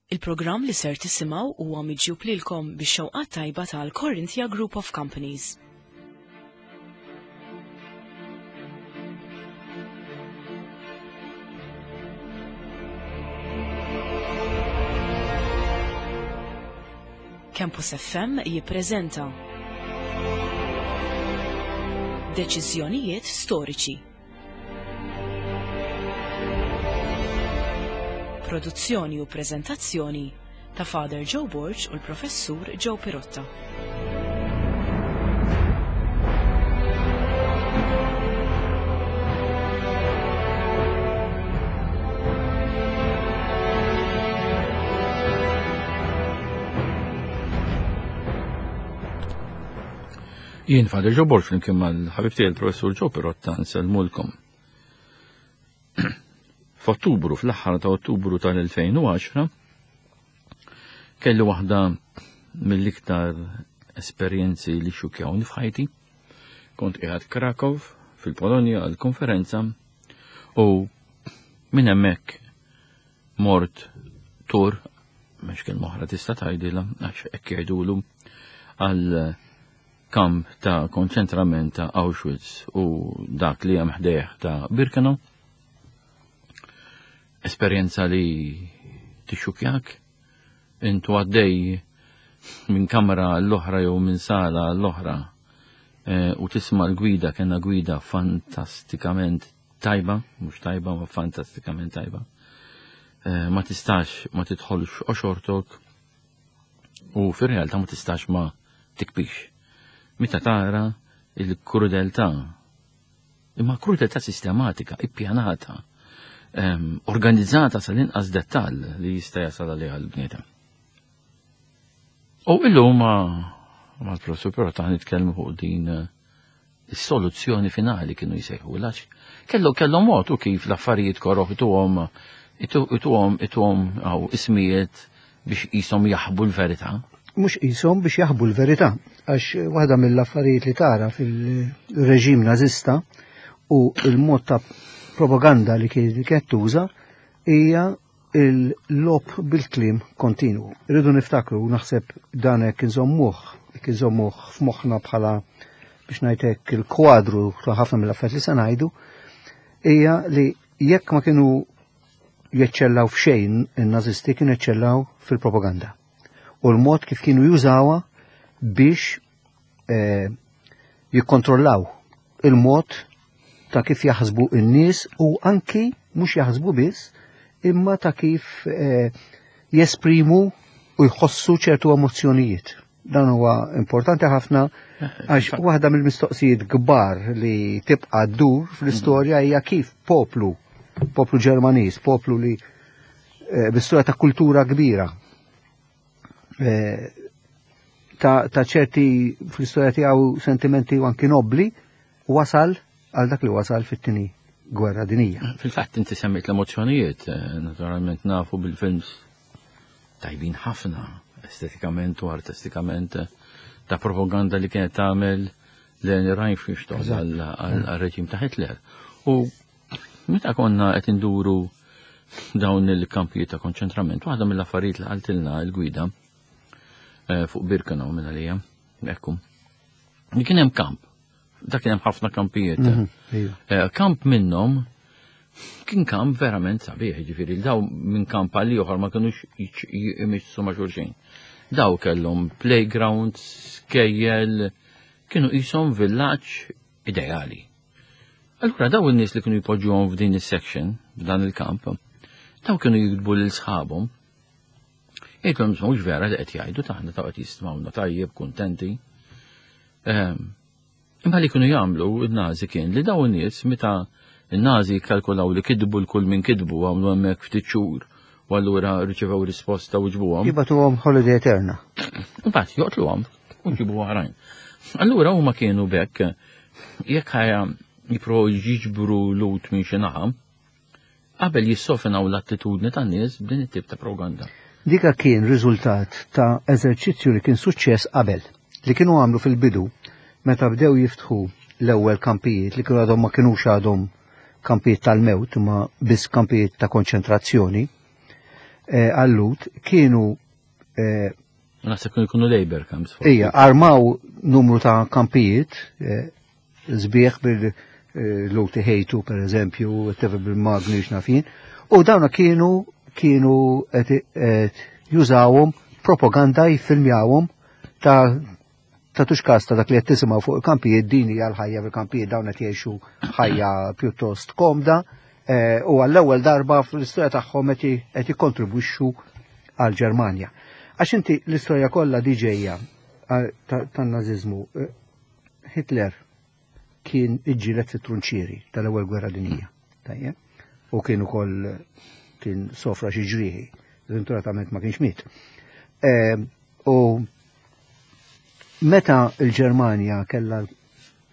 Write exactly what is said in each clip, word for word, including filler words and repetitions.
Il-programm li ser tisimgħu huwa miġjub lilkom bix-xewqat tajba tal-Corinthia Group of Companies. Campus F M jippreżenta Deċiżjonijiet storiċi. Produzzjoni u preżentazzjoni ta' Father Joe Borg u l-Professur Joe Pirotta. Jien Father Joe Borg flimkien mal-ħabib tiegħi l-Professur Joe Pirotta nsellmulkom. F'Ottubru, fl-aħħar ta' Ottubru tal-elfejn u għaxra, kelli waħda mill-iktar esperjenzi li xukjawni f'ħajti. Kont qiegħed Krakow fil-Polonja għal konferenza u minn hemmhekk mort tur, mhux kelma oħra tista' tgħidilha għax hekk jgħidulu, għal kamp ta' konċentrament ta' Auschwitz u dak li hemm ħdejh ta' Birkenau. Esperjenza li tixxukjak, intu għaddej minn kamra l-oħra jew minn sala l-oħra, eh, u tisma' l-gwida, kellna gwida fantastikament tajba, mhux tajba, ma fantastikament tajba. Eh, ma tistax ma tidħolx oxortok u fir-realtà ma tistax ma tikbix. Meta tara il-krudeltà, imma krudeltà sistematika, ippjanata, ehm, organizzata sal-inqas dettall li jista' jasal għaliha l-bniedem. U illum ma-, mal-professur però ta' nitkellmu fuq din, eh, is-soluzzjoni finali kienu jsejħu għax kellu, kellu mod u kif l-affarijiet koroh ituhom, itu-, ituhom, ituhom għaw ismijiet biex qishom jaħbu l-verità. Mhux qishom biex jaħbu l-verità, għax waħda mill-affarijiet li tara fil-reġim nażista u l-mod ta' propaganda li kienet tuża hija il-lob bil-kliem kontinwu. Irridu niftakru, naħseb dan hekk inżommuh, hekk inżommuh f'moħħna bħala biex ngħidlek il-kwadru ta' ħafna mill-affarijiet li se ngħidu, hija li jekk ma kienu jeċċellaw f'xejn in-nażisti kienu jeċċellaw fil-propaganda. U l-mod kif kienu jużawha biex, eh, jikkontrollaw il-mod ta' kif jaħsbu n-nies u anki mhux jaħsbu biss, imma ta' kif, eh, jesprimu u jħossu ċertu emozzjonijiet. Dan huwa importanti ħafna għax waħda mill-mistoqsijiet kbar li tibqa' ddur fl-istorja hija kif poplu, poplu Ġermaniż, poplu li, eh, b'istorja ta' kultura kbira, eh, ta', ta' ċerti fl-istorja tiegħu sentimenti u anki nobli, wasal għal dak li wasal fit-tieni gwerra dinija. Fil-fatt inti semmejt l-emozzjonijiet, eh, naturalment nafu bil-films tajbin ħafna estetikament u artistikament, eh, ta' propaganda li kienet tagħmel Leni Riefenstahl Eżatt. għal, għal, għal-reġim ta' Hitler. U meta konna qed induru dawn il-kampijiet ta' konċentrament, waħda mill-affarijiet li qaltilna l-gwida, eh, fuq Birkenau minn għalija, ekku, li kien hemm kamp. Dak kien hemm ħafna kampijiet. Mhm, iva. Eh, kamp minnhom kien kamp verament sabiħ, jiġifieri daw minn kamp għal ieħor ma kinux jiċ-, jimissu ma' xulxin. Daw kellhom playgrounds, skejjel, kienu qishom villaġġ ideali. Allura daw in-nies li kienu jpoġġuhom f'din is-section, f'dan il-kamp, daw kienu jiktbu lil sħabhom. Jgħidulhom mhux vera li qed jgħidu taħna ta' qed jistmawna tajjeb, kuntenti. Ehm, imma li kienu jagħmlu n-Nazi kien li daw in-nies meta n-Nazi jikkalkulaw li kidbu l-kull minn kidbu għamlu hemmhekk ftit xhur u allura riċevew risposta u ġbuhom. Jibatuhom holiday eterna. Imbagħad joqtluhom u jġibu oħrajn. Allura huma kienu bekk jekk ħajja jippruvaw jiġbru lut minn xi naħa, qabel jissofinaw l-attitudni tan-nies b'din it-tip ta' propaganda. Dika kien riżultat ta' eżerċizzju li kien suċċess qabel, li kienu għamlu fil-bidu meta bdew jiftħu l-ewwel kampijiet li kienu għadhom ma kinux għadhom kampijiet tal-mewt imma biss kampijiet ta' konċentrazzjoni. eh, għal-Lhud kienu eh, Naħseb kienu jkunu labor camps. Ija, armaw numru ta' kampijiet, eh, sbieħ bil-Lhud ħejtu, per eżempju, tefa bil-magni x'nafin, u dawna kienu kienu qed qed jużawhom propaganda, jiffilmjawhom ta' ta' tux ta' dak li qed tisimgħu fuq il-kampijiet. Din hija l-ħajja fil-kampijiet, dawn qed jgħixu ħajja pjuttost komda eh, u għall-ewwel darba fl-istorja tagħhom qed qed jikkontribwixxu għall-Ġermanja. Għax inti l-istorja kollha di ġejja eh, tan-naziżmu, eh, Hitler kien iġġieled fit-trunċieri tal-ewwel gwerra dinjija. Tajjeb? U kien ukoll kien sofra xi ġrieħi, sventuratament ma kienx miet. Eh, U meta l-Ġermanja kellha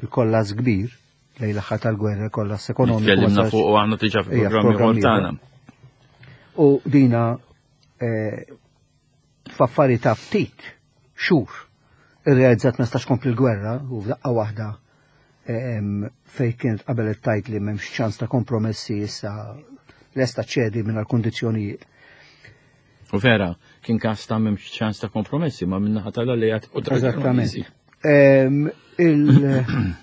l-kollass kbir lejn l-aħħar tal-gwerra, kollass ekonomiku. Tkellimna fuq u għandna diġà fil-programmi tagħna. U dina eh, f'affari ta' ftit xhur irrealizzat ma stax kompli l-gwerra u f'daqqa waħda fej kienet qabel it-tajt li m'hemmx ċans ta' kompromessi, issa lesta ċedi minn għal-kondizzjonijiet. U vera, kien każ ta' m'hemmx ċans ta' kompromessi, ma minnaħa tal-alleat u Eżattament. Il-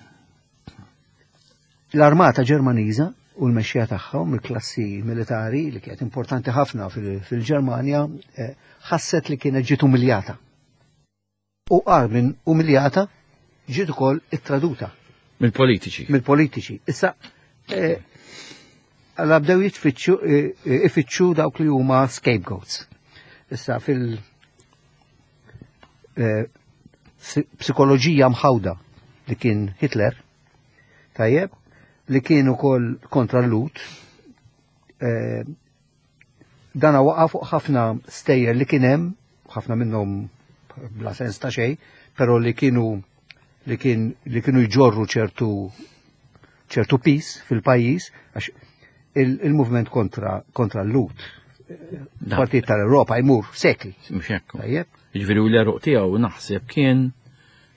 L-armata Ġermaniża u l-mexxija tagħhom, il-klassi militari li kienet importanti ħafna fil-Ġermanja, eh, ħasset li kienet ġiet umiljata. U qar minn umiljata, ġiet ukoll ittraduta. Mill-politiċi. Mill-politiċi. Issa, eh, għalla bdew jitfittxu eh, ifittxu dawk li huma scapegoats. Issa fil- psikoloġija mħawda li kien Hitler, tajjeb, li kien ukoll kontra l-Lhud, dana waqa fuq ħafna stejjer li kien hemm, ħafna minnhom bla sens ta' xejn, però li kienu li kien li kienu jġorru ċertu ċertu pis fil-pajjiż, għax il-movement kontra kontra l-Lhud partit tal-Europa jmur sekli. Mhux hekk. Tajjeb. Jiġifieri u l-għeruq tiegħu naħseb kien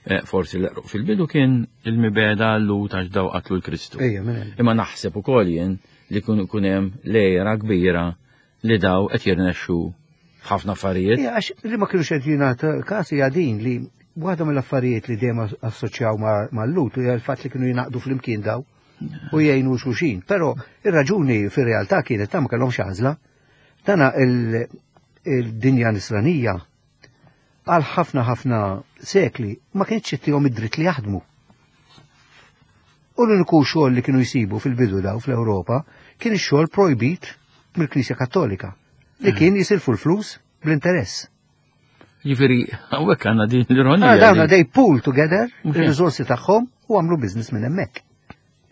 eh, forsi l-għeruq fil-bidu kien il-mibegħda l-Lhud għax daw qatlu l-Kristu. Ejja, minn hemm. Imma naħseb ukoll jien li kun kun hemm lejra kbira li daw qed jirnexxu f'ħafna affarijiet. Ija, għax li ma kienux qed jingħata każ hija din li waħda mill-affarijiet li dejjem assoċjaw mal-Lhud hija l-fatt li kienu jingħaqdu flimkien daw u jgħinu xulxin. Però ir-raġuni fir-realtà kienet ta' ma kellhomx għażla. Dana il-dinja nisranija għal ħafna ħafna sekli ma kienx ittihom id-dritt li jaħdmu. U l-uniku xogħol li kienu jsibu fil-bidu daw fl-Ewropa kien ix-xogħol projbit mill-Knisja Kattolika li kien jisilfu l-flus bl-interess. Jiġifieri hawnhekk għandna din l-ironija. Ah, dawna they pool together Mhux hekk. il-riżorsi tagħhom u għamlu business minn hemmhekk.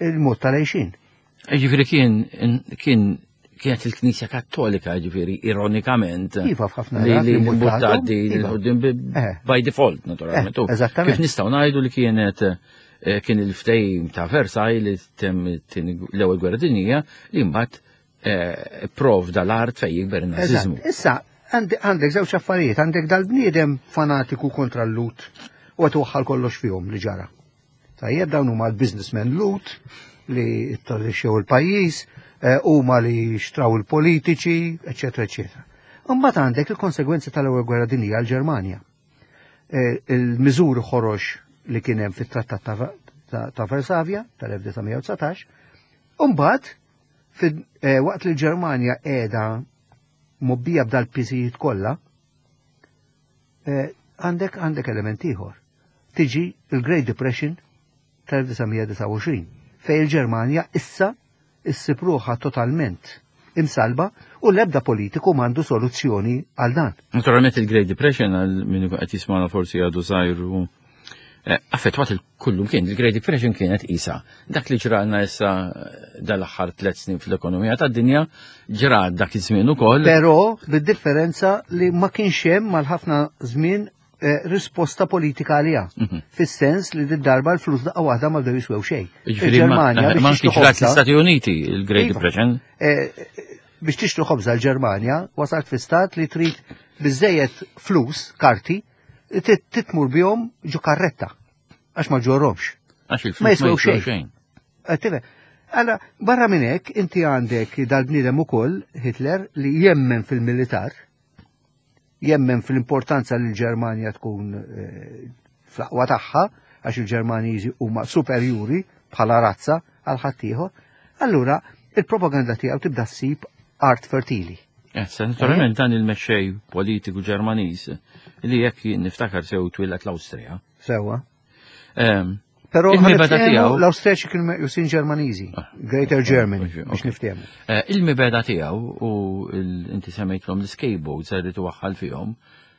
Il-mod tal-għejxin. Jiġifieri kien kien kienet il-Knisja Kattolika, ġifieri ironikament. Iva, f'ħafna li rati li imbuttatom, imbuttati iva. l-qudiem Eh. by default, naturalment. Eh, U eżattament. Kif nistgħu ngħidu li kienet eh, kien il-ftehim ta' Versailles li tem tieni l-ewwel gwerra dinjija li mbagħad eh, provda l-art fejn jikber in-naziżmu. Eżatt. Issa, għandek għandek żewġ affarijiet, għandek dal-bniedem fanatiku kontra l-Lhud u qed waħħal kollox fihom li ġara. Tajjeb, dawn huma l-businessmen Lhud li tradixxew il-pajjiż, eh, huma li xtraw il-politiċi, eċetera, eċetera. Imbagħad għandek il-konsegwenzi tal-ewwel gwerra dinjija għall-Ġermanja. Eh, Il-miżuri ħorox li kien hemm fit-Trattat ta' ta' ta' Varsavja tal-elf disa' mija u dsatax, u mbagħad fid- eh, waqt li l-Ġermanja qiegħda mobbija b'dal-piżijiet kollha, eh, għandek għandek element ieħor. Tiġi il-Great Depression tal-elf disa' mija disgħa u għoxrin fej il-Ġermanja issa issib ruħha totalment imsalba u l-ebda politiku m'għandu soluzzjoni għal dan. Naturalment il-Great Depression, għal min qed jismana forsi għadu żgħir, eh, affettwat il-kullum kien. Il-Great Depression kienet isa. Dak li ġralna issa eh, dal-aħħar tliet snin fl-ekonomija tad-dinja ġra dak iż-żmien ukoll. Però bid-differenza li ma kienx hemm mal-ħafna żmien eh, risposta politika għaliha. Mhm. Fis-sens li d-darba l-flus daqqa waħda ma bdew jiswew xejn. Jiġifieri ma Il-Ġermanja ma biex kienx tixtri ġrat ħobża- l-Istati Uniti il-Great Iva. Depression. eh, biex tixtri ħobża l-Ġermanja wasalt fi stat li trid biżejjed flus, karti, tit- titmur bihom ġo karretta għax ma ġorromx. Għax il-flus Ma jiswew xejn. xejn. Eh, tifhem. Alla, barra minn hekk inti għandek dal-bniedem ukoll Hitler li jemmen fil-militar. jemmen fl-importanza li l-Ġermanja tkun eh, fl-aqwa tagħha, għax il-Ġermaniżi huma superjuri bħala razza għal ħaddieħor, allura il-propaganda tiegħu tibda ssib art fertili. Issa, naturalment dan il-mexxej politiku Ġermaniż li jekk niftakar sew twieled l-Awstrija. Sewa. Ehm, Però Il-mibeda ħa niftehmu, tiegħu- l-Awstrijaċi kienu meqjusin Ġermaniżi, Ah, Greater Germany, ok, biex niftehmu. eh, Il-mibeda tiegħu u il- inti semmejtlhom l-scapegoats li twaħħal fihom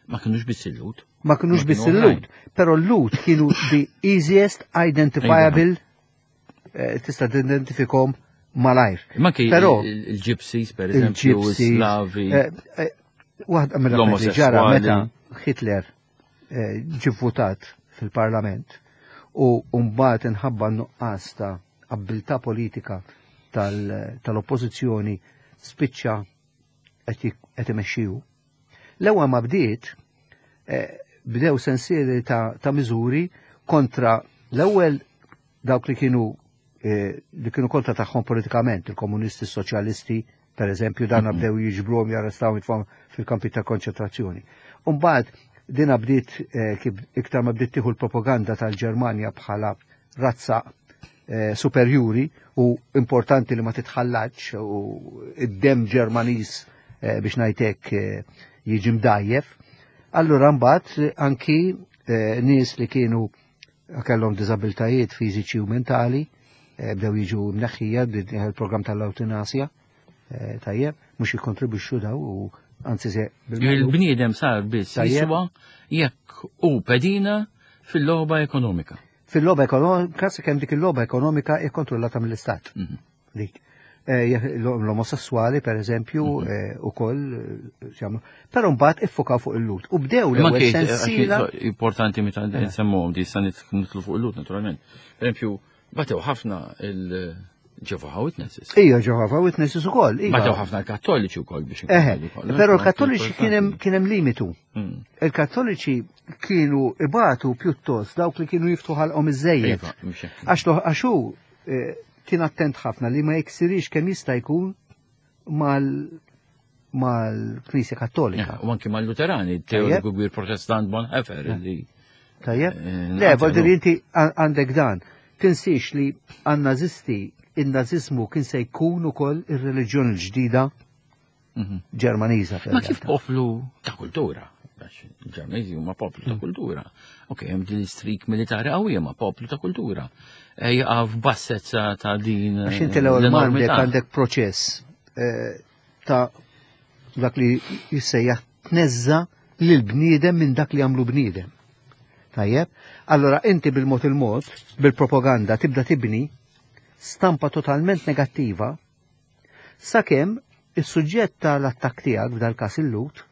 ma kinux biss il-Lhud. Ma kinux Ma biss kienu il-Lhud, però l-Lhud kienu the easiest identifiable, eh, tista' tidentifikhom malajr. Ma kien Però il- il-Gypsies, per eżempju, il-Gypsies, Slavi. eh, eh, Waħda mill-affarijiet li ġara L-omosessuali. meta Hitler eh, ġie votat fil-parlament u mbagħad inħabba nuqqas ta' abbiltà politika tal- tal-oppożizzjoni spiċċa qed jik- qed imexxiju. L-ewwel ma bdiet eh, bdew sensieli ta', ta' miżuri kontra l-ewwel dawk li kienu eh, li kienu kontra tagħhom politikament, il-komunisti, soċjalisti, per eżempju, dan bdew jiġbruhom jarrestaw jitfgħu fil-kampi ta' konċentrazzjoni. Umbagħad dina bdiet eh, kif iktar ma bdiet tieħu l-propaganda tal-Ġermanja bħala razza eh, superjuri u importanti li ma titħallax u id-dem Ġermaniż eh, biex ngħidlek eh, jiġi mdajjef. Allura mbagħad eh, anki eh, nies li kienu kellhom diżabiltajiet fiżiċi u mentali eh, bdew jiġu mneħħija bdiet il-programm tal-eutanasja eh, tajjeb, mhux jikkontribwixxu daw u anzi se Il-bniedem sar biss Tajjeb. jiswa jekk u pedina fil-logħba ekonomika. Fil-logħba ekonomika, sakemm dik il-logħba ekonomika hija kontrollata mill-Istat. Mhm. Dik. Eh, jekk L-omosessuali, per eżempju, Mhm. eh, ukoll, eh, x'jagħmlu. Però mbagħad iffokaw fuq il-Lhud. U bdew Ma l-ewwel kien sensiela. importanti meta nsemmuhom di sa nitlu fuq il-Lhud naturalment. Per eżempju, batew ħafna il-Jehovah Witnesses. Ija Jehovah Witnesses ukoll. iva. Batew ħafna l-Kattoliċi wkoll biex Eħe, inkunu kollha. però l-Kattoliċi kien hemm kien hemm limitu. Mm. Il-Kattoliċi kienu ibatu pjuttost dawk li kienu jiftħu ħalqhom iżejjed. Iva, mhux hekk. Għax lo- għax hu eh, kien attent ħafna li ma jiksirix kemm jista' jkun mal mal-Knisja Kattolika. Eh, U anki mal-Luterani, teoriku kbir protestant Bonhoeffer li Tajjeb? Eh, Le, naqtelu. voldiri inti għan- għandek dan. Tinsiex li għan-nazisti, il-nazizmu kien se jkun ukoll ir-reliġjoni l-ġdida Mhm. Ġermaniża. Ma kif poplu ta' kultura? Għax il-Ġermaniżi huma poplu ta' Mm. kultura. Ok, hemm din l-streak militari qawwija ma' poplu ta' kultura. E Jaqa' f'bassezza ta' din Għax inti l-ewwel ma għandek l-enormità. għandek proċess eh, ta' dak li jissejjaħ tneżża lil bniedem minn dak li għamlu bniedem. Tajjeb? Allora inti bil-mod il-mod, bil-propaganda tibda tibni stampa totalment negattiva sakemm is-suġġett tal-attakk tiegħek f'dal każ il-Lhud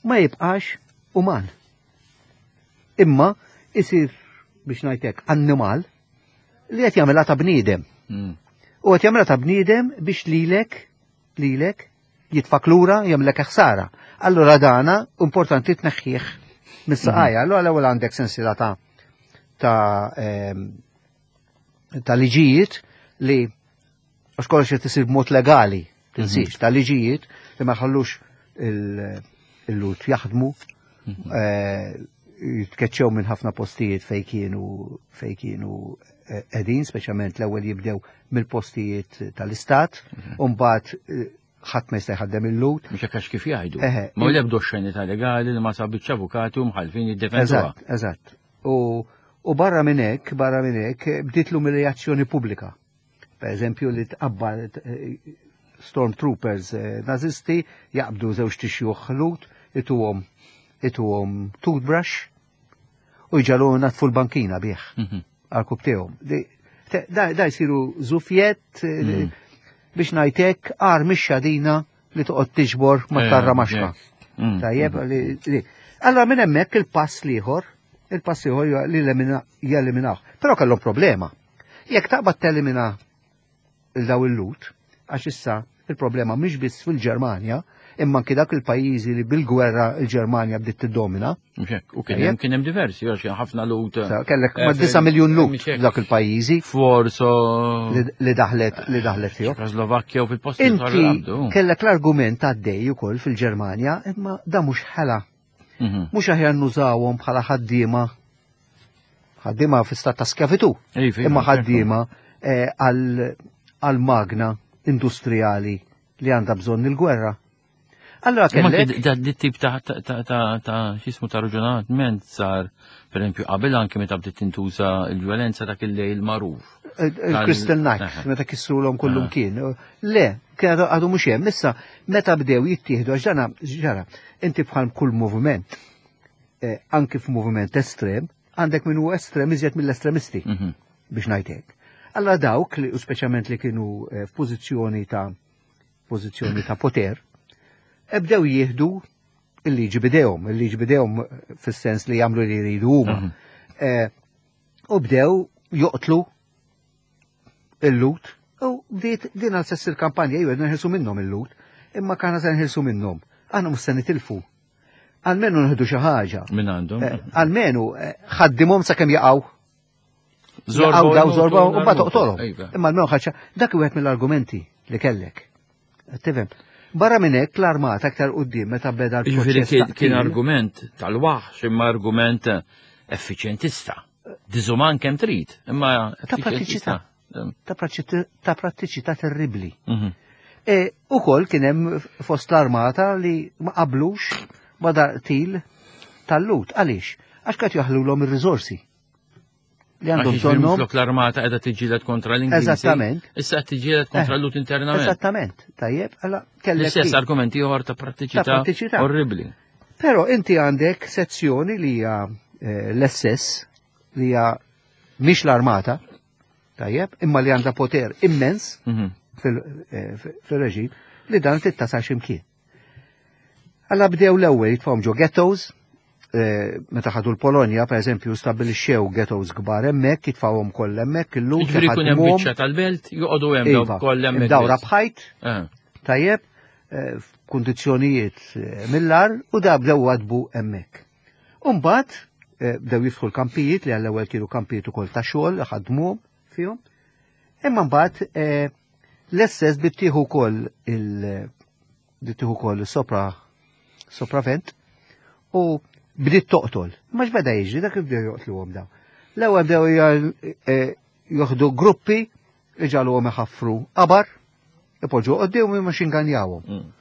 ma jibqax uman. Imma isir biex ngħidlek annimal li qed jagħmilha ta' bniedem. Mm. U qed jagħmilha ta' bniedem biex lilek lilek jitfak lura jagħmlek ħsara. Allura dana importanti tneħħih mis-saqajja. Allura l-ewwel għandek sensiela ta' ta' ehm, ta' liġijiet li għax kollox qed isir b'mod legali, tinsiex, ta' liġijiet li ma jħallux il- il-Lhud jaħdmu, eh, jitkeċċew minn ħafna postijiet fej kienu fej kienu eh, qegħdin, speċjalment l-ewwel jibdew mill-postijiet tal-istat, u mbagħad eh, ħadd ma jista' jħaddem il-Lhud. Mhux hekk għax kif jgħidu. Eħe. Ma l-ebda xenita legali li ma sabitx avukati u mħalfin jiddefenduha. Eżatt, eżatt. U, u barra minn hekk, barra minn hekk, bdiet l-umiljazzjoni pubblika. Per eżempju li tqabbal eh, stormtroopers eh, nazisti jaqbdu żewġt ixjuħ Lhud, ituhom ituhom toothbrush u jġagħluhom inaddfu l-bankina bih Mhm. għal Da, da jsiru żufjett eh, Mm. biex ngħidlek għar mix-xadina li toqgħod tiġbor ma Eh, tarra maxka. Mm. Tajjeb, li, li. Allora minn hemmhekk il-pass l-ieħor, il-pass ieħor li elimina- jeliminaw. Però kellhom problema. Jekk taqbad telimina il-daw il-Lhud, għax issa il-problema mhix biss fil-Ġermanja, imma anki dak il-pajjiżi li bil-gwerra il-Ġermanja bdiet tiddomina. Mhux hekk. U kien hemm kien hemm diversi, għax kien ħafna Lhud. Sa- Kellek Eh, ma' disa' miljun Lhud mhux hekk. f'dak il-pajjiżi Forso. li li daħlet li daħlet fihom. Ċekoslovakkja u fil-posti Inti kellek l-argument għaddej ukoll fil-Ġermanja, imma da mhux ħela. Mhm. Mhux aħjar nużawhom bħala ħaddiema ħaddiema fi stat ta' skjavitu, Iva, imma iva, ħaddiema eh, għal għal magna industrijali li għandha bżonn il-gwerra. Allora Imma kellek anke da dit tip ta' ta' ta' ta' ta' x'ismu ta' raġunament sar, per esempio, qabel anke meta bdiet tintuża l-vjolenza dak il-lejl magħruf. Il-Crystal Night, Aha. meta kissrulhom kullum Aha. kien. Le, kien għadu għadu mhux hemm. Issa meta bdew jittieħdu għax dana ġara, inti bħal kull moviment, eh, anki f'moviment estrem, għandek min hu estrem iżjed mill-estremisti Mhm. biex ngħid hekk. Allora dawk li u speċjalment li kienu eh, f'pożizzjoni ta' pożizzjoni ta' poter, eh, bdew jieħdu il-liġi bidejhom, il-liġi bidejhom eh, fis-sens li jagħmlu li jridu huma. Mhm. Eh, U bdew joqtlu il-Lhud u bdiet din għal sess il-kampanja jew nħilsu minnhom il-Lhud, imma kana se nħilsu minnhom. Aħna mhux se nitilfu. Almenu nħidu xi ħaġa. Minn għandhom. Eh, Almenu eh, ħaddimhom sakemm jaqgħu. Zorba Jaqgħu daw jmutu, zorba u mbagħad narmutu. toqtolhom. Iva. Imma almenu ħaġa dak wieħed mill-argumenti li kellek. Tifhem. Barra minn hekk l-armata aktar quddiem meta beda Jiġifieri l-proċess. kien ta' kien qtil, argument tal-waħx imma argument effiċjentista. Diżuman kemm trid, imma Ta' prattiċità. effiċjentista. ta' prattiċità ta' prattiċità terribbli. Mhm. E, u kol kien hemm fost l-armata li ma qablux ma dal-qtil tal-Lhud. Għaliex? Għax qed jaħlulhom ir-riżorsi. Li Għax għandhom jiġifieri bżonnhom. minflok l-armata qiegħda tiġġieled kontra l-Ingliżi. Eżattament. Issa qed tiġġieled kontra Eh, l-Lhud internament. Eżattament. Tajjeb, alla kellek. L-istess dik. argument ieħor ta' prattiċità Ta' prattiċità. orribli. Però inti għandek sezzjoni li hija eh, l-S S li hija mhix l-armata, tajjeb, imma li għandha poter immens Mhm. fil- eh, fil-reġim li dan tittasal ximkien. Alla bdew l-ewwel jitfgħu ġo ghettos, eh, meta ħadu l-Polonja, per eżempju, stabilixxew ghettos kbar hemmhekk, jitfgħuhom kollha hemmhekk, illum Jiġifieri jkun hemm biċċa tal-belt, joqogħdu hemm Iva, dawk kollha hemmhekk. dawra biss. b'ħajt, Eh. tajjeb, eh, f'kundizzjonijiet eh, mill-ar u da bdew wadbu hemmhekk. Umbagħad eh, bdew jiftħu l-kampijiet li għall-ewwel kienu kampijiet ukoll ta' xogħol ħadmuhom fihom. Imma mbagħad eh, l-S S bdiet tieħu wkoll il bdiet tieħu wkoll sopra sopravvent u bdiet toqtol. Ma x'beda jiġri dak bdew joqtluhom daw. L-ewwel bdew ja- eh, joħdu gruppi iġagħluhom iħaffru qabar, ipoġġu quddiem u xinganjawhom. Mm.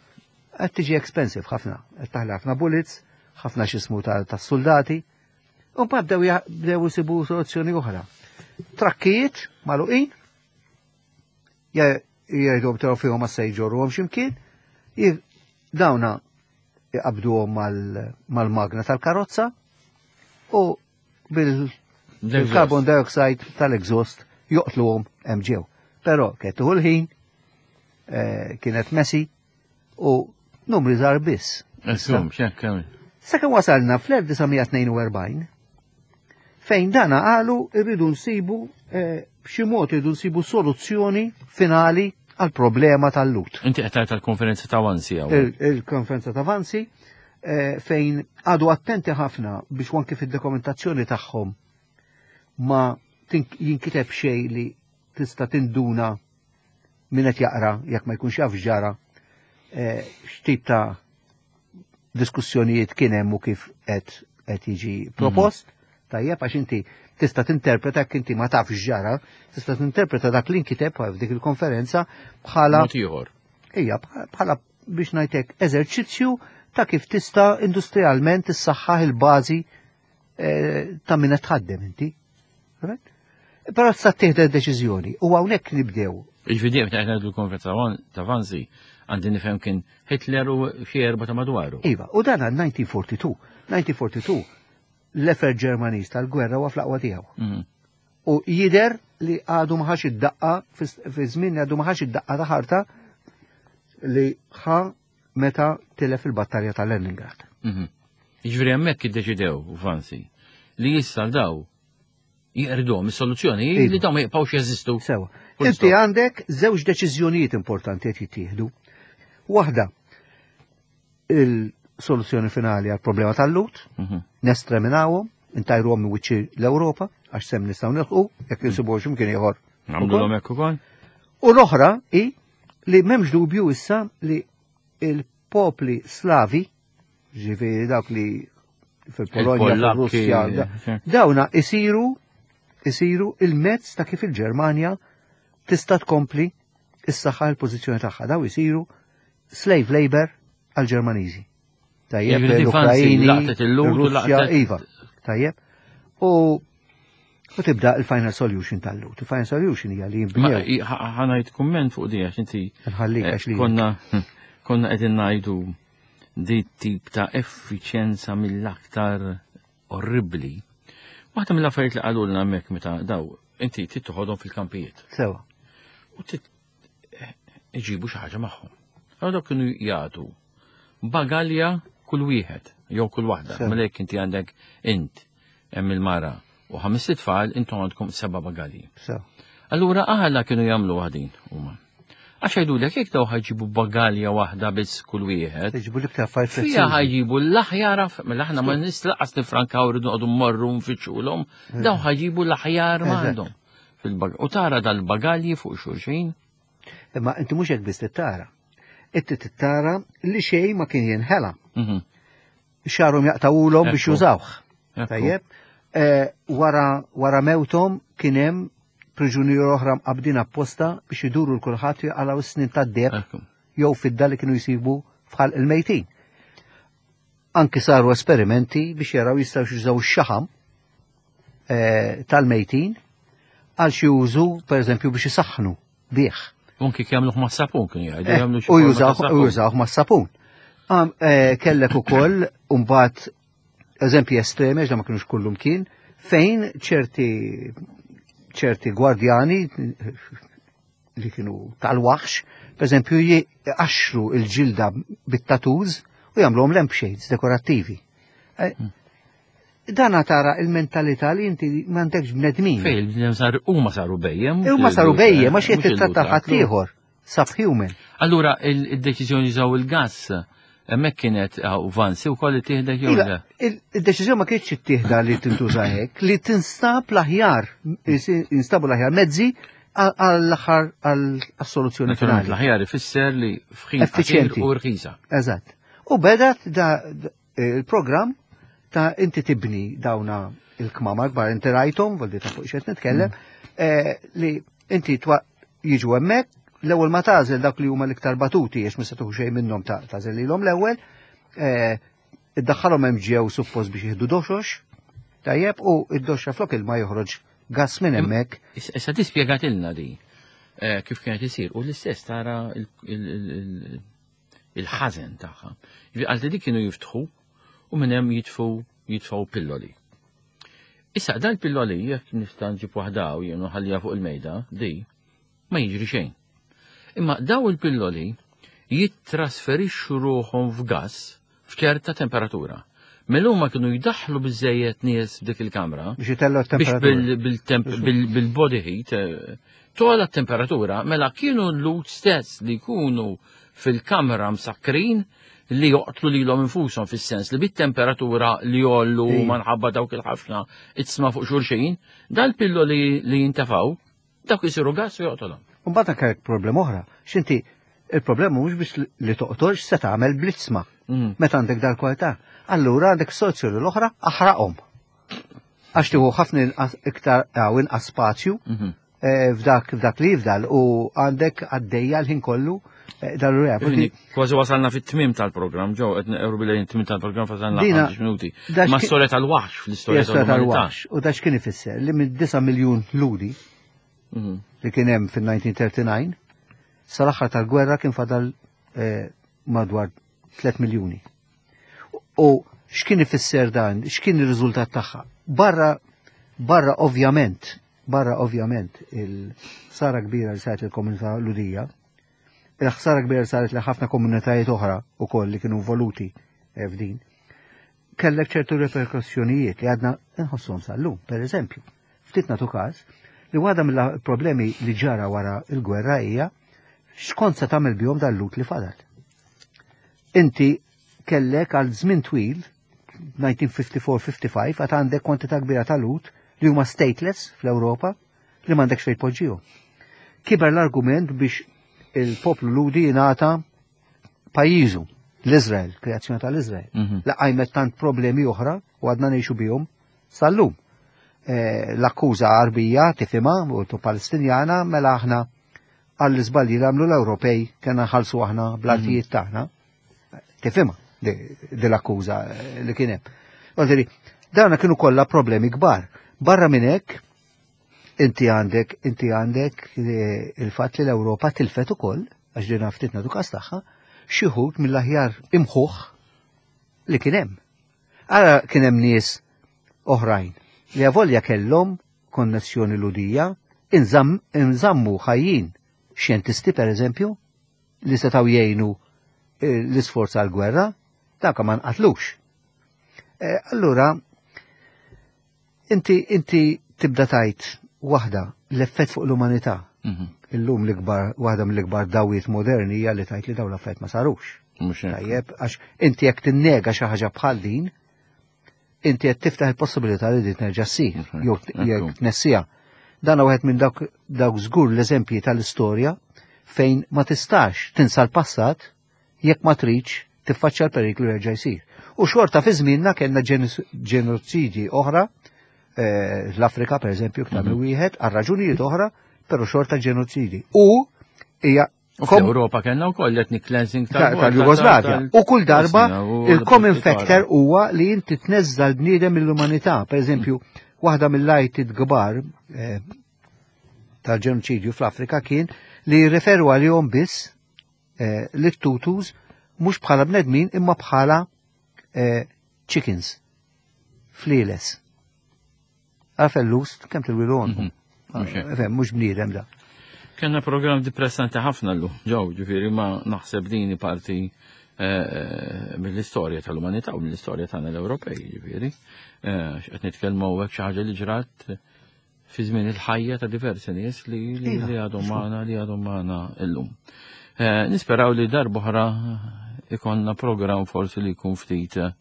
Qed tiġi expensive ħafna, qed taħli ħafna bullets, ħafna x'ismu tas-soldati. U mbagħad bdew ja- bdew isibu soluzzjoni oħra. Trakkijiet magħluqin, ja- jgħidu taraw fihom ma se jġorruhom x'imkien, j- dawna iqabduhom mal- mal-magna tal-karozza u bil il-carbon dioxide tal-exhaust joqtluhom hemm ġew. Però kienet tieħu l-ħin, eh, kienet messy u numri żgħar biss. Insum, x'hekk kemm. Sakemm wasalna fl-elf disa' mija tnejn u erbgħin fejn dana qalu irridu nsibu eh, b'xi mod irridu nsibu soluzzjoni finali għal problema tal-Lhud. Inti qed tgħid tal-konferenza ta' Wannsee hawn. Il- Il-konferenza ta' Wannsee eh, fejn għadu attenti ħafna biex anke fid-dokumentazzjoni tagħhom ma tink- jinkiteb xejn li tista' tinduna min qed jaqra jekk ma jkunx jaf ġara eh, x'tip ta' diskussjonijiet kien hemm u kif qed qed jiġi propost. Tajjeb, għax inti tista' tinterpreta jekk inti ma tafx ġara, tista' tinterpreta dak li nkiteb f'dik il-konferenza bħala Mod ieħor. Ija, bħala biex ngħidlek eżerċizzju ta' kif tista' industrialment tissaħħaħ il-bażi eh, ta' min qed tħaddem inti. Right? Però tista' tieħdu deċiżjoni u hawnhekk nibdew. Jiġifieri qed ngħidu l-konferenza ta' Wannsee għandi nifhem kien Hitler u xi erba' ta' madwaru. Iva, u dan għal elf disa' mija erbgħa u erbgħin. elf disa' mija erbgħa u erbgħin l-effort Ġermaniż tal-gwerra huwa fl-aqwa tiegħu. Mhm. U jider li għadu ma ħax id-daqqa fi żmien li għadu ma ħax id-daqqa ta' ħarta li ħa meta tilef il-battalja ta' Leningrad. Mhm. Jiġifieri hemmhekk iddeċidew Wannsee li issa daw jeqirduhom is-soluzzjoni Iva. li daw ma jibqgħux jeżistu. Sewa. Full Inti stop. għandek żewġ deċiżjonijiet importanti qed jittieħdu. Waħda il-soluzzjoni finali għal problema tal-Lhud, Mhm. nestreminawhom, intajruhom minn wiċċi l-Ewropa, għax sem nistgħu nilħqu, jekk insibu x'imkien ieħor. Nagħmluhom hekk ukoll. U l-oħra hi li m'hemmx dubju issa li il-popli slavi, ġifieri dawk li fil-Polonja, fil-Russja. Dawna isiru isiru il-mezz ta' kif il-Ġermanja tista' tkompli is-saħħa l-pożizzjoni tagħha. Daw isiru slave labor għal-Ġermaniżi. Tajjeb, l-Ukrajini, l-Russja, iva. Tajjeb. U u tibda il-final solution tal-Lhud. Il-final solution hija li jinbnew. Ħa ngħid kumment fuq di għax inti Nħallik li konna konna qegħdin ngħidu di tip ta' effiċjenza mill-aktar orribli. Waħda mill-affarijiet li qalulna hemmhekk meta daw inti trid toħodhom fil-kampijiet. Sewa. U trid iġibu xi ħaġa magħhom. Allora dawk kienu jagħtu bagalja kull wieħed jew kull waħda. Mela jekk inti għandek int hemm il-mara u ħames tfal intom għandkom seba' bagalji. Allura aħna kienu jagħmlu waħdin huma. Għax jgħidulek jekk daw ħa jġibu bagalja waħda biss kull wieħed. Jġibu l-iktar affarijiet Fija ħa jġibu l-aħjar, mela aħna ma nislaqas nifrankaw rridu noqogħdu mmorru nfittxulhom, daw ħa jġibu l-aħjar ma għandhom. U tara dal-bagalji fuq xulxin. Imma inti mhux hekk biss tara. Inti tittara li xejn ma kien jinħela. Mhm. Xagħarhom jaqtgħuhulhom biex jużawh. Tajjeb. Eh, wara wara mewthom kien hemm priġunieri oħra mqabdin apposta biex iduru 'l kulħadd jaqalgħu s-snin tad-deheb jew fidda li kienu jsibu f'ħalq il-mejtin. Anki saru esperimenti biex jaraw jistgħu jużaw x-xaħam eh, tal-mejtin għal xi użu pereżempju biex isaħħnu bih. Anki jagħmluh ma' sapun kien jgħidu eh, jagħmlu xi U jużawh ma' sapun. Eh, kellek ukoll mbagħad eżempji estremi għax ma kienux kullum kien fejn ċerti ċerti gwardjani li kienu tal-waħx, per eżempju, jqaxxru il-ġilda bit-tattoos u jagħmluhom lampshades dekorattivi. Eh, hmm. Dana tara il-mentalità li inti m'għandekx bnedmin. Fej, il-bnedmin sar huma saru bhejjem. Huma saru bhejjem, għax qed titratta ħaddieħor, subhuman. Allura il-deċiżjoni jużaw il-gas hemmhekk kienet vansi wkoll ittieħdet jew le? Il-deċiżjoni ma kienx ittieħda li tintuża hekk, li tinstab l-aħjar, instabu l-aħjar mezzi għall-aħħar għall-soluzzjoni finali. L-aħjar ifisser li f'ħin Effiċjenti. u rħisa. Eżatt. U bedat da il-programm ta' inti tibni dawna il-kmamar kbar inti rajthom, voldi ta' fuq xed nitkellem, eh, li inti jiġu hemmhekk, l-ewwel ma tagħżel dak li huma l-iktar batuti għax ma se tieħu xejn minnhom ta' tagħżel lilhom l-ewwel, eh, iddaħħalhom hemm ġew suppost biex jieħdu doxox, tajjeb, u id-doxxa flok il ma joħroġ gas minn hemmhekk. Issa tispjegatilna di eh, kif kienet isir u l-istess tara il-ħażen tagħha. Għal dik kienu jiftħu u minn hemm jitfu jitfgħu pilloli. Issa dal-pilloli jekk nista' nġib waħda u jien ħallija fuq il-mejda, di ma jiġri xejn. Imma daw il-pilloli jittrasferixxu ruħhom f'gas f'ċerta temperatura. Mela huma kienu jdaħħlu biżejjed nies f'dik il-kamra biex jitellgħu biex t-temperatura. bil-body heat eh, tola temperatura mela kienu l-Lhud stess li jkunu fil-kamra msakrin li joqtlu lilhom infushom fis-sens li bit-temperatura li jollu Ija. minħabba dawk il-ħafna iġsma fuq xulxin, dal-pilloli li jintefaw, dawk isiru gas u joqtolhom. Mbagħad anke problema oħra, x'inti il-problema mhux biex li toqtolx se tagħmel bl-iġsma. Mm. Meta għandek dal-kwalità. Allura għandek soluzzjoni l-oħra aħraqhom. Għax tieħu ħafna inqas iktar għaw inqas spazju Mhm. eh, f'dak f'dak li jifdal u għandek għaddejja l-ħin kollu eh, dal-rea. Quindi, Kważi wasalna fit-tmim tal-programm, ġew qed neqru bil tmim tal-programm fasalna Dina- ħames minuti. dax Ma ki- storja tal-waħx fl-istorja tal-umanità. tal-waħx. U dax kien ifisser li minn disa' miljun Lhudi Mhm. li kien hemm fil-elf disa' mija u tlieta u tletin sal-aħħar tal-gwerra kien fadal eh, madwar tliet miljuni. U x'kien ifisser dan, x'kien ir-riżultat tagħha? Barra barra ovvjament, barra ovvjament il-ħsara kbira li saret il-komunità Lhudija, il-ħsara kbira li saret li ħafna komunitajiet oħra ukoll li kienu involuti eh, f'din, kellek ċertu reperkussjonijiet li għadna nħossuhom sal-lum, per eżempju. Ftit nagħtu każ li waħda mill-problemi li ġara wara il-gwerra hija x'kont se tagħmel bihom dal-Lhud li fadal. Inti kellek għal żmien twil, elf disa' mija u ħamsa u erbgħin ħamsa u erbgħin, għad għandek kwantità kbira ta' Lhud li huma stateless fl-Ewropa li m'għandekx fejn tpoġġihom. Kiber l-argument biex il-poplu Lhudi jingħata pajjiżu, l-Izrael, kreazzjoni tal-Izrael. Mhm. La qajmet tant problemi oħra u għadna ngħixu bihom sal-lum. Eh, l-akkuża Għarbija tifhimha u tu Palestinjana mela aħna għall-iżbalji li għamlu l-Ewropej kena nħallsu aħna bl-artijiet tagħna. Tifhimha di l-akkuża li kien hemm. Għaldiri, dawna kienu kollha problemi kbar. Barra minn hekk, inti għandek inti għandek eh, il-fatt li l-Ewropa tilfet ukoll, għax din ftit nagħtu każ tagħha, xi wħud mill-aħjar imħuħ li kien hemm. Ara kien hemm nies oħrajn li avolja kellhom konnessjoni Lhudija, inżammu ħajjin xjentisti per eżempju, li setgħu jgħinu eh, l-isforz għal-gwerra, dak ma nqatlux. Eh, allura, inti, inti tibda tajt waħda l-effett fuq l-umanità. Mhm. Illum l-ikbar, waħda mill-ikbar dawiet moderni hija li tajt li dawn l-affett ma sarux. Mhux hekk. Tajjeb, għax inti jekk tinnega xi ħaġa bħal din, inti qed tiftaħ il-possibilità li din terġa' ssir, Mhux hekk. jew Ekku. jekk tnessija. Dan wieħed minn dawk dawk żgur l-eżempji tal-istorja fejn ma tistax tinsa l-passat jekk ma tridx tiffaċċja l-periklu jerġa' jsir. U xorta fi żmienna kellna ġenoċidji oħra, eh, l-Afrika per eżempju iktar minn wieħed, għal raġunijiet oħra, però xorta ġenoċidji. U hija U fl-Ewropa kellna wkoll ethnic cleansing tal-Jugoslavja. U kull darba il-common factor huwa li inti tneżża l-bniedem mill-umanità. Per eżempju, waħda mill-lajtit kbar eh, tal-ġenoċidju fl-Afrika kien li jirreferu għalihom biss eh, lit-Tutus mhux bħala bnedmin imma bħala eh, chickens, flieles. Għalfellus, kemm tilwilhom. Mhm. Mhux hekk. Mhux bniedem da. Kenna program depressanti ħafna l ġew, ġifieri ma naħseb dini parti eh, mill-istorja tal-umanità u mill-istorja tagħna l-Ewropej, ġifieri. Eh, Qed nitkellmu hawnhekk xi ħaġa li ġrat fi żmien il-ħajja ta' diversi nies li li Iva, li għadhom magħna li għadhom magħna illum. Eh, Nisperaw li darb'oħra ikonna program forsi li jkun ftit eh,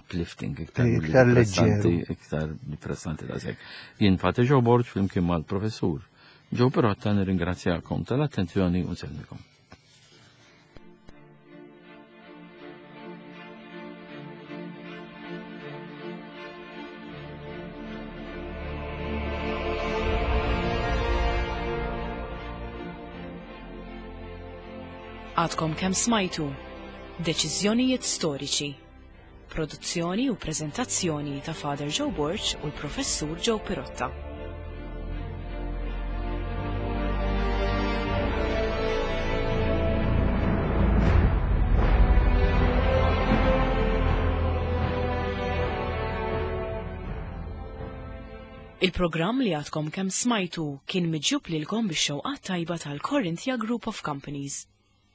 uplifting, iktar milli Iktar depressanti, leġġeru. iktar depressanti da sekk. Jien Fati Joe Borg flimkien mal-professur Joe Pirotta nirringrazzjakom tal-attenzjoni u nsellmikom. Għadkom kemm smajtu Deċiżjonijiet storiċi. Produzzjoni u preżentazzjoni ta' Father Joe Borg u l-Professur Joe Pirotta. Il-programm li għadkom kemm smajtu kien miġjub lilkom bix-xewqat tajba tal-Corinthia Group of Companies.